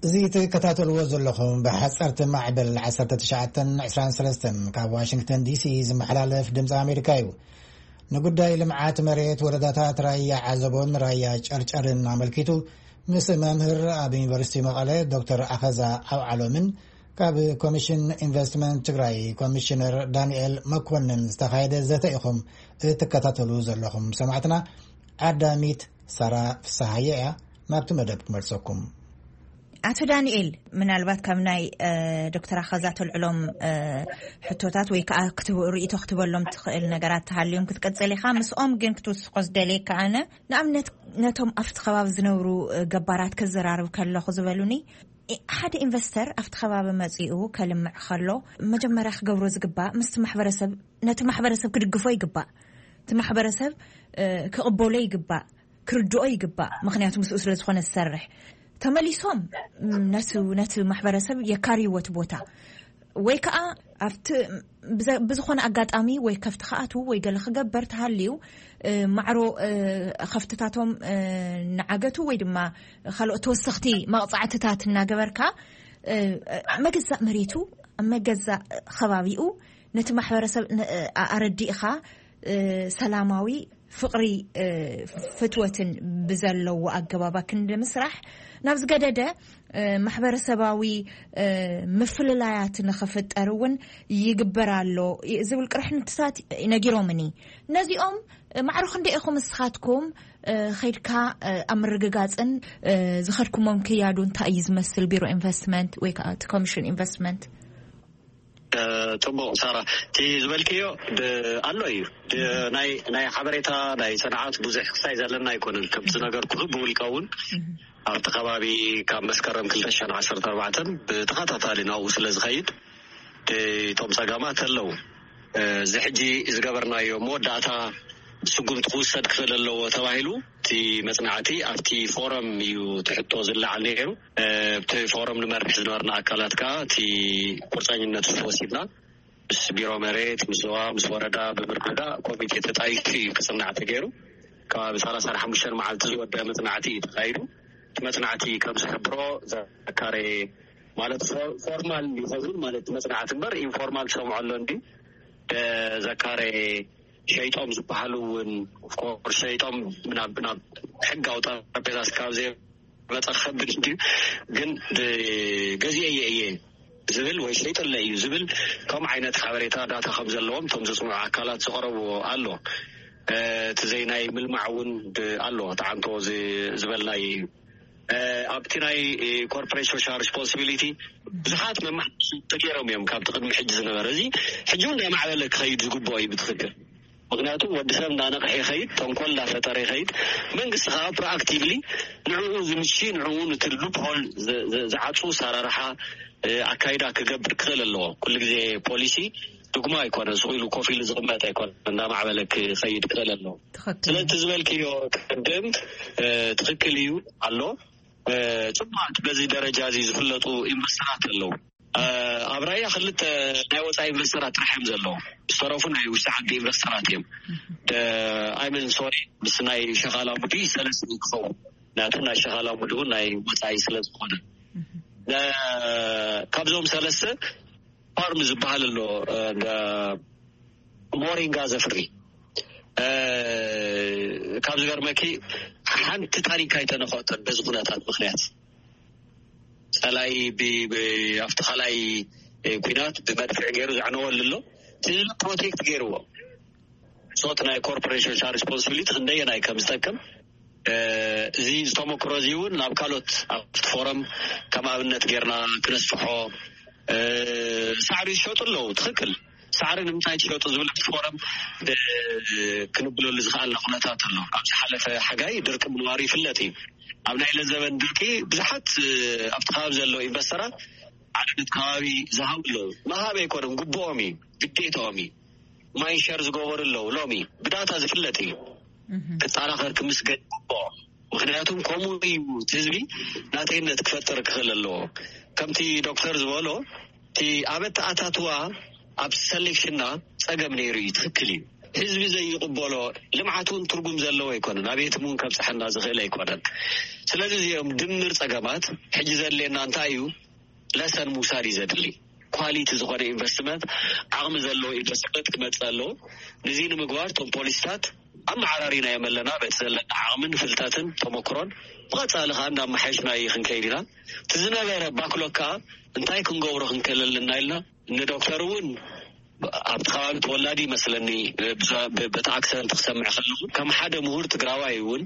እዚ ትከታተልዎ ዘለኹም ብሓፀርቲ ማዕበል ዓሰርተ ትሽዓተ ዕስራን ሰለስተን ካብ ዋሽንግተን ዲሲ ዝመሓላለፍ ድምፂ ኣሜሪካ እዩ። ንጉዳይ ልምዓት መሬት ወረዳታት ራያ ዓዘቦን ራያ ጨርጨርን ኣመልኪቱ ምስ መምህር ኣብ ዩኒቨርሲቲ መቐለ ዶክተር ኣኸዛ ዓውዓሎምን ካብ ኮሚሽን ኢንቨስትመንት ትግራይ ኮሚሽነር ዳንኤል መኮንን ዝተኻየደ ዘተ ኢኹም እትከታተሉ ዘለኹም ሰማዕትና። ዓዳሚት ሳራ ፍስሃየ እያ ናብቲ መደብ ክመልሰኩም። ኣቶ ዳንኤል፣ ምናልባት ካብ ናይ ዶክተር ኣኸዛ ተልዕሎም ሕቶታት ወይ ከዓ ርእይቶ ክትበሎም ትኽእል ነገራት ተሃልዮም ክትቀፅል ኢኻ። ምስኦም ግን ክትውስኮ ዝደልየካ ኣነ ንኣብነት ነቶም ኣብቲ ከባቢ ዝነብሩ ገባራት ከዘራርብ ከለኹ ዝበሉኒ ሓደ ኢንቨስተር ኣብቲ ከባቢ መፂኡ ከልምዕ ከሎ መጀመርያ ክገብሮ ዝግባእ ምስቲ ማሕበረሰብ ነቲ ማሕበረሰብ ክድግፎ ይግባእ። እቲ ማሕበረሰብ ክቕበሎ ይግባእ፣ ክርድኦ ይግባእ። ምክንያቱ ምስኡ ስለ ዝኾነ ዝሰርሕ ተመሊሶም ነቲ ነቲ ማሕበረሰብ የካርይዎ እቲ ቦታ ወይ ከዓ ኣብቲ ብዝኾነ ኣጋጣሚ ወይ ከፍቲ ክኣትዉ ወይ ገለ ክገበር ተሃልዩ ማዕሮ ከፍትታቶም ንዓገቱ ወይ ድማ ካልኦት ተወሰኽቲ መቕፃዕትታት እናገበርካ መገዛእ መሬቱ መገዛእ ከባቢኡ ነቲ ማሕበረሰብ ኣረዲእኻ ሰላማዊ ፍቕሪ ፍትወትን ብዘለዎ ኣገባባ ክንዲ ምስራሕ ናብ ዝገደደ ማሕበረሰባዊ ምፍልላያት ንኽፍጠር እውን ይግበር ኣሎ ዝብል ቅርሕንትታት ነጊሮምኒ። ነዚኦም ማዕሮ ክንደይ ኢኹም ንስኻትኩም ከይድካ ኣብ ምርግጋፅን ዝኸድኩሞም ክያዱ እንታይ እዩ ዝመስል ቢሮ ኢንቨስትመንት ወይ ከዓ እቲ ኮሚሽን ኢንቨስትመንት? ፅቡቕ ሳራ፣ እቲ ዝበልክዮ ኣሎ እዩ። ናይ ሓበሬታ ናይ ሰንዓት ብዙሕ ክሳይ ዘለና ኣይኮነን። ከምቲ ዝነገርኩ ብውልቀ እውን ኣብቲ ከባቢ ካብ መስከረም ክልተ ሽሕን ዓሰርተ ኣርባዕተን ብተኸታታሊ ናብኡ ስለ ዝኸይድ እቶም ጸገማት ኣለዉ። እዚ ሕጂ ዝገበርናዮ መወዳእታ ስጉምቲ ክውሰድ ክኽእል ኣለዎ ተባሂሉ እቲ መጽናዕቲ ኣብቲ ፎረም እዩ ትሕቶ ዝለዓል ነይሩ። ኣብቲ ፎረም ንመርሕ ዝነበርና ኣካላት ከኣ እቲ ቁርጸኝነት ወሲድና ምስ ቢሮ መሬት፣ ምስ ዞባ፣ ምስ ወረዳ ብምርድዳእ ኮሚቴ ተጣይሹ እዩ ክጽናዕ ተገይሩ። ከባቢ ሰላሳ ሓሙሽተ መዓልቲ ዝወደ መጽናዕቲ እዩ ተኻይዱ። እቲ መጽናዕቲ ከም ዝሕብሮ ዘካረ ማለት ፎርማል ይኸውን ማለት መጽናዕቲ እምበር ኢንፎርማል ትሰምዖ ኣሎ እንዲ ዘካረ ሸይጦም ዝበሃሉ እውን ኦፍኮርስ ሸይጦም ናብ ናብ ሕጋዊ ጠረጴዛ ስካብ ዘይመፀ ከብድ እንዲ ግን ገዚኤ እየ ዝብል ወይ ሸይጠለ እዩ ዝብል ከም ዓይነት ሓበሬታ ዳታ ከም ዘለዎም እቶም ዘፅንዑ ኣካላት ዝቀረብዎ ኣሎ። እቲ ዘይናይ ምልማዕ እውን ኣሎ ተዓንቶ ዝበልናይ እዩ። ኣብቲ ናይ ኮርፖሬት ሶሻል ሪስፖንሲቢሊቲ ብዙሓት መማሕቲ ተገይሮም እዮም ካብቲ ቅድሚ ሕጂ ዝነበረ። እዚ ሕጂ እውን እንዳማዕበለ ክኸይድ ዝግብኦ እዩ ብትኽክል። ምክንያቱ ወዲ ሰብ እንዳነቕሐ ይኸይድ፣ ተንኮል እንዳፈጠረ ይኸይድ። መንግስቲ ከዓ ፕሮኣክቲቭሊ ንዕኡ ዝምቺ ንዕኡ ንትልሉ ፖል ዝዓፁ ሰራርሓ ኣካይዳ ክገብር ክኽእል ኣለዎ። ኩሉ ግዜ ፖሊሲ ድጉማ ኣይኮነን፣ ስቕ ኢሉ ኮፍ ኢሉ ዝቕመጥ ኣይኮነን፣ እንዳማዕበለ ክኸይድ ክኽእል ኣለዎ። ስለዚ ዝበልክዮ ቅድም ትኽክል እዩ ኣሎ። ፅቡቃት በዚ ደረጃ እዚ ዝፍለጡ ኢንቨስተራት ኣለዉ። ኣብ ራያ ክልተ ናይ ወፃኢ ኢንቨስተራት ጥራሕ እዮም ዘለዉ። ዝተረፉ ናይ ውሽጢ ዓዲ ኢንቨስተራት እዮም። ኣይመን ሶሪ ምስ ናይ ሸኻላ ሙዲ ሰለስተ ክኸውን ናቱ ናይ ሸኻላ ሙዲ እውን ናይ ወፃኢ ስለ ዝኾነ ካብዞም ሰለስተ ፋርም ዝበሃል ኣሎ ሞሪንጋ ዘፍሪ ካብ ዝገርመኪ ሓንቲ ታሪካ ኣይተነኸተን በዚ ኩነታት ምክንያት ፀላይ ኣብቲ ካልኣይ ኩናት ብመድፍዕ ገይሩ ዘዕነወሉ ኣሎ። እቲ ህዝቢ ፕሮቴክት ገይርዎ ሶት ናይ ኮርፖሬሽን ሪስፖንሲቢሊቲ ክንደየናይ ከም ዝጠቅም እዚ ዝተመክሮ እዚ እውን ናብ ካልኦት ኣብቲ ፎረም ከም ኣብነት ጌርና ክነስፍሖ። ሳዕሪ ዝሸጡ ኣለዉ። ትኽክል። ሳዕሪ ንምንታይ ትሸጡ ዝብል ኣብቲ ፎረም ክንብለሉ ዝኽኣልና ኩነታት ኣሎ። ኣብ ዝሓለፈ ሓጋይ ድርቂ ምንባሩ ይፍለጥ እዩ። ኣብ ናይ ለዘበን ድርቂ ብዙሓት ኣብቲ ከባቢ ዘለዉ ኢንቨስተራት ዓደነት ከባቢ ዝሃቡ ኣለዉ። ምሃብ ኣይኮነን፣ ግብኦም እዩ፣ ግዴታኦም እዩ። ማይንሸር ዝገበሩ ኣለዉ። ሎሚ ብዳታ ዝፍለጥ እዩ። ክጠናኸር ክምስገን ይግብኦ። ምክንያቱም ከምኡ እዩ። ህዝቢ ናተይነት ክፈጥር ክኽእል ኣለዎ። ከምቲ ዶክተር ዝበሎ እቲ ኣብ ኣተኣታትዋ ኣብ ሰሌክሽንና ፀገም ነይሩ እዩ። ትኽክል እዩ። ህዝቢ ዘይቕበሎ ልምዓት እውን ትርጉም ዘለዎ ኣይኮነን። ኣቤት እውን ከብፅሐና ዝኽእል ኣይኮነን። ስለዚ እዚኦም ድምር ፀገማት ሕጂ ዘድልየና እንታይ እዩ? ለሰን ምውሳድ እዩ ዘድሊ። ኳሊቲ ዝኾነ ኢንቨስትመንት ዓቕሚ ዘለዎ ኢንቨስትመንት ክመፅእ ኣለዎ። ንዚ ንምግባር እቶም ፖሊሲታት ኣመዓራሪና እዮም ኣለና በቲ ዘለና ዓቕምን ፍልጠትን ተመክሮን ብቐፃሊ ከዓ እንዳመሓየሽና እዩ ክንከይድ ኢና። እቲ ዝነበረ ባክሎግ ከዓ እንታይ ክንገብሮ ክንክእል ኣለና ኢልና ንዶክተር እውን ኣብቲ ከባቢ ተወላዲ ይመስለኒ በቲ ኣክሰንት ክሰምዕ ከለኹ ከም ሓደ ምሁር ትግራዋይ እውን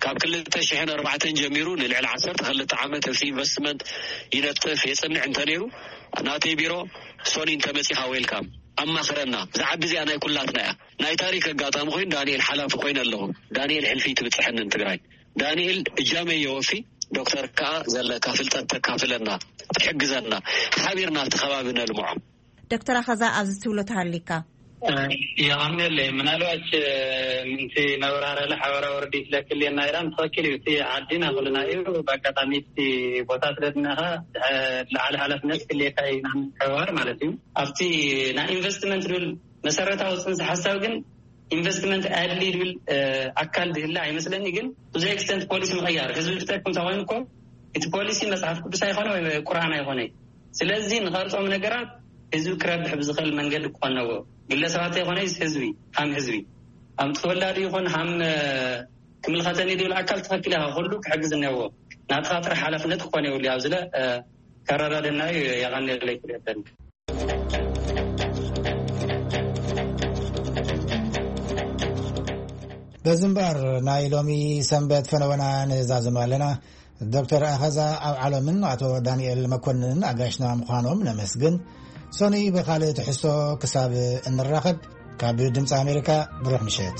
ካብ ክልተ ሽሕን ኣርባዕተን ጀሚሩ ንልዕሊ ዓሰርተ ክልተ ዓመት ኣብቲ ኢንቨስትመንት ይነጥፍ የፅንዕ እንተነይሩ ናተይ ቢሮ ሶኒ እንተመፂኻ ዌልካም ኣማኽረና። እዛ ዓዲ እዚኣ ናይ ኩላትና እያ። ናይ ታሪክ ኣጋጣሚ ኮይኑ ዳንኤል ሓላፊ ኮይነ ኣለኹ። ዳንኤል ሕልፊ ትብፅሐንን ትግራይ ዳንኤል እጃመይ የወፊ ዶክተር ከዓ ዘለካ ፍልጠት ተካፍለና ትሕግዘና ሓቢርና ኣብቲ ከባቢ ነልምዖ። ዶክተር ኣኸዛ ኣብዚ ትብሎ ተሃሊካ የቐንየለይ ምናልባች ምንቲ ነብራረለ ሓበራዊ ርዲት ለክልየና ኢራን ትኽክል እዩ። እቲ ዓዲና ኩልና እዩ። ብኣጋጣሚ እቲ ቦታ ስለ ዝነኻ ልዓሊ ሓላፍነት ክልየካ እዩ ናብ ምትሕብባር ማለት እዩ። ኣብቲ ናይ ኢንቨስትመንት ዝብል መሰረታዊ ፅንሰ ሓሳብ ግን ኢንቨስትመንት ኣድሊ ዝብል ኣካል ዝህለ ኣይመስለኒ። ግን ብዙ ኤክስተንት ፖሊሲ ምቕያር ህዝቢ ዝጠቅም ተኮይኑ እኮ እቲ ፖሊሲ መፅሓፍ ቅዱስ ኣይኮነ ወይ ቁርኣን ኣይኮነ። ስለዚ ንቐርፆም ነገራት ህዝቢ ክረብሕ ብዝኽእል መንገዲ ክኾን ነዎ። ግለሰባት ኣይኮነ ህዝቢ ሃም ህዝቢ ሃም ተወላዲ ይኹን ሃም ክምልኸተኒ ዝብል ኣካል ትኽክል ኢኻ። ኩሉ ክሕግዝ እኒአዎ። ናትኻ ጥራሕ ሓላፍነት ክኾን የብሉ። ኣብዚ ለ ከረዳደና እዩ። የቐንየለይ ክልኤተን በዚ እምበኣር ናይ ሎሚ ሰንበት ፈነወና ንዛዝም ኣለና። ዶክተር ኣኸዛ ኣብ ዓለምን ኣቶ ዳንኤል መኮንንን ኣጋሽና ምዃኖም ነመስግን። ሶኒ ብኻልእ ትሕዝቶ ክሳብ እንራኸብ ካብ ድምፂ ኣሜሪካ ብሩኽ ምሸት።